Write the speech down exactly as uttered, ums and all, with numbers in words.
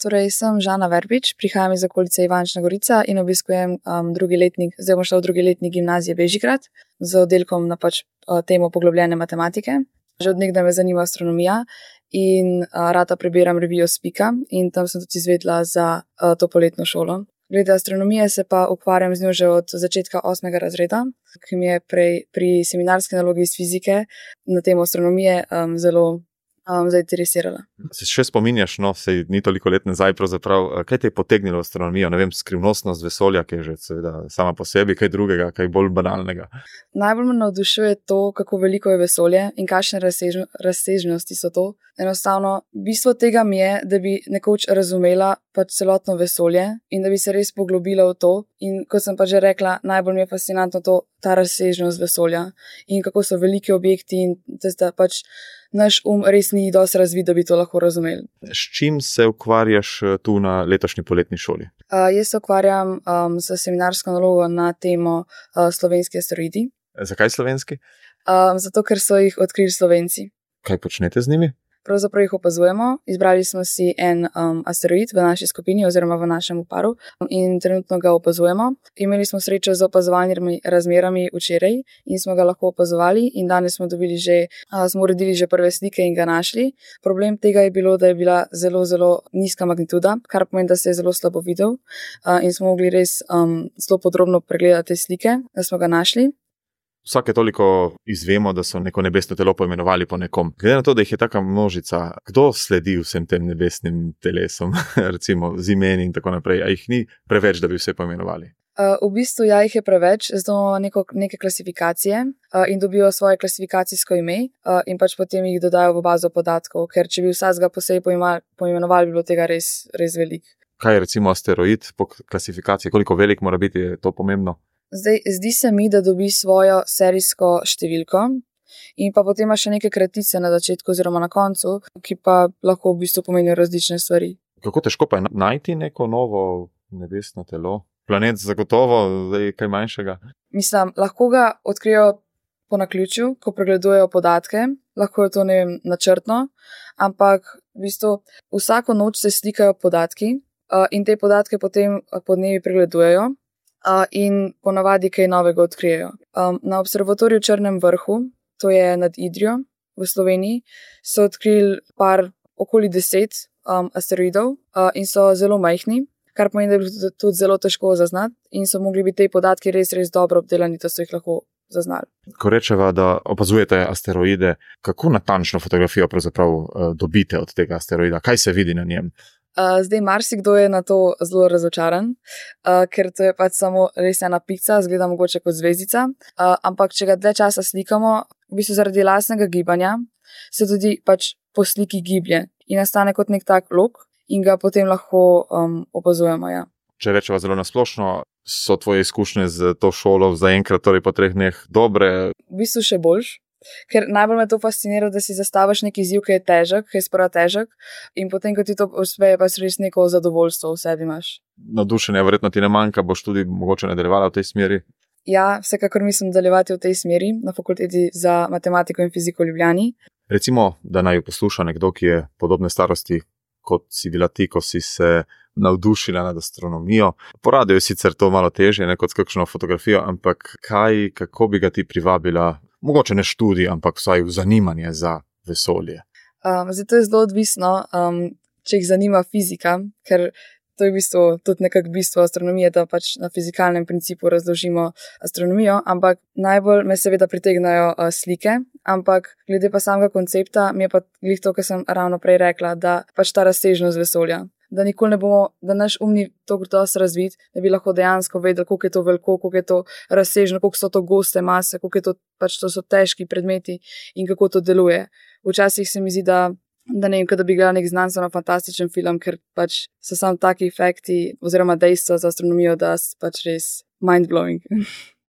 Torej, sem Žana Verbič, prihajam iz okolice Ivančna Gorica in obiskujem um, drugi letnik, zdaj bom šla v drugi letnik gimnazije Bežigrad z oddelkom na pač uh, temo poglobljene matematike. Že od nekdaj me zanima astronomija in uh, rada prebiram revijo Spika in tam sem tudi izvedla za uh, to poletno šolo. Glede astronomije se pa ukvarjam z njo že od začetka osmega razreda, ki mi je prej pri seminarski nalogi iz fizike na temo astronomije um, zelo Um, zainteresirala. Se še spominjaš, no, sej ni toliko let nazaj pravzaprav, kaj te je potegnilo v astronomijo? Ne vem, skrivnostnost vesolja, ki je že seveda sama po sebi, kaj drugega, kaj bolj banalnega? Najbolj me navdušuje to, kako veliko je vesolje in kakšne razsežno, razsežnosti so to. Enostavno, bistvo tega mi je, da bi nekoč razumela pač celotno vesolje in da bi se res poglobila v to. In kot sem pa že rekla, najbolj mi je fascinantno to, ta razsežnost vesolja in kako so veliki objekti in da pač naš um res ni dosti razvit, da bi to lahko razumeli. S čim se ukvarjaš tu na letošnji poletni šoli? Uh, jaz se ukvarjam um, s seminarsko nalogo na temo uh, slovenski asteroidi. Zakaj slovenski? Um, zato, ker so jih odkrili Slovenci. Kaj počnete z njimi? Pravzaprav jih opazujemo. Izbrali smo si en um, asteroid v naši skupini oziroma v našem paru in trenutno ga opazujemo. Imeli smo srečo z opazovalnimi razmerami včeraj in smo ga lahko opazovali in danes smo dobili že, uh, smo uredili že prve slike in ga našli. Problem tega je bilo, da je bila zelo, zelo nizka magnituda, kar pomeni, da se je zelo slabo videl uh, in smo mogli res um, zelo podrobno pregledati te slike, da smo ga našli. Vsake toliko izvemo, da so neko nebesno telo poimenovali po nekom. Glede na to, da jih je taka množica, kdo sledi vsem tem nebesnim telesom, recimo z imeni in tako naprej, a jih ni preveč, da bi vse poimenovali? Uh, v bistvu ja, jih je preveč, zato neko, neke klasifikacije uh, in dobijo svoje klasifikacijsko ime uh, in pač potem jih dodajo v bazo podatkov, ker če bi vsakega posebej poimenovali, bi bilo tega res, res veliko. Kaj je recimo asteroid po klasifikaciji? Koliko velik mora biti, je to pomembno? Zdaj, zdi se mi, da dobi svojo serijsko številko in pa potem ima še neke kratice na začetku oziroma na koncu, ki pa lahko v bistvu pomenijo različne stvari. Kako težko pa je najti neko novo nebesno telo? Planet zagotovo, zdaj kaj manjšega? Mislim, lahko ga odkrijo po naključju, ko pregledujejo podatke, lahko je to, ne vem, načrtno, ampak v bistvu vsako noč se slikajo podatki uh, in te podatke potem podnevi pregledujejo. Uh, in ponavadi kaj novega odkrijejo. Um, na observatoriju v Črnem vrhu, to je nad Idrijo v Sloveniji, so odkrili par okoli deset um, asteroidov uh, in so zelo majhni, kar pomeni, da je bilo tudi zelo težko zaznati in so mogli biti te podatki res, res dobro obdelani, da so jih lahko zaznali. Ko rečeva, da opazujete asteroide, kako natančno fotografijo pravzaprav uh, dobite od tega asteroida? Kaj se vidi na njem? Uh, zdaj, marsikdo je na to zelo razočaran, uh, ker to je pač samo res ena pica, zgleda mogoče kot zvezdica, uh, ampak če ga dlje časa slikamo, v bistvu zaradi lastnega gibanja, se tudi pač po sliki giblje in nastane kot nek tak lok in ga potem lahko um, opazujemo. Ja. Če rečeva zelo nasplošno, so tvoje izkušnje z to šolo zaenkrat, torej po treh dneh, dobre? V bistvu še boljš. Ker najbolj me to fascinira, da si zastaviš neki izziv, ki je težek, ki je sprva težek in potem, ko ti to uspe, pa res neko zadovoljstvo v sebi imaš. Navdušenja verjetno ti ne manjka, boš tudi mogoče nadaljevala v tej smeri? Ja, vsekakor mislim nadaljevati v tej smeri na fakulteti za matematiko in fiziko v Ljubljani. Recimo, da naj jo posluša nekdo, ki je podobne starosti, kot si bila ti, ko si se navdušila nad astronomijo. Po radiju je sicer to malo težje, ne kot s kakšno fotografijo, ampak kaj, kako bi ga ti privabila? Mogoče ne študij, ampak vsaj zanimanje za vesolje. Um, zdaj to je zelo odvisno, um, če jih zanima fizika, ker to je v bistvu tudi nekako bistvo astronomije, da pač na fizikalnem principu razložimo astronomijo, ampak najbolj me seveda pritegnajo uh, slike, ampak glede pa samega koncepta mi je pa glih to, kar sem ravno prej rekla, da pač ta razsežnost vesolja. Da nikoli ne bomo, da naš um ni toliko dosti razvit, da bi lahko dejansko vedeli, koliko je to veliko, koliko je to razsežno, koliko so to goste mase, koliko je to, pač to so težki predmeti in kako to deluje. Včasih se mi zdi, da, da ne vem, da bi gledal nek znanstveno fantastičen film, ker pač so samo taki efekti oziroma dejstva za astronomijo, da so pač res mind-blowing.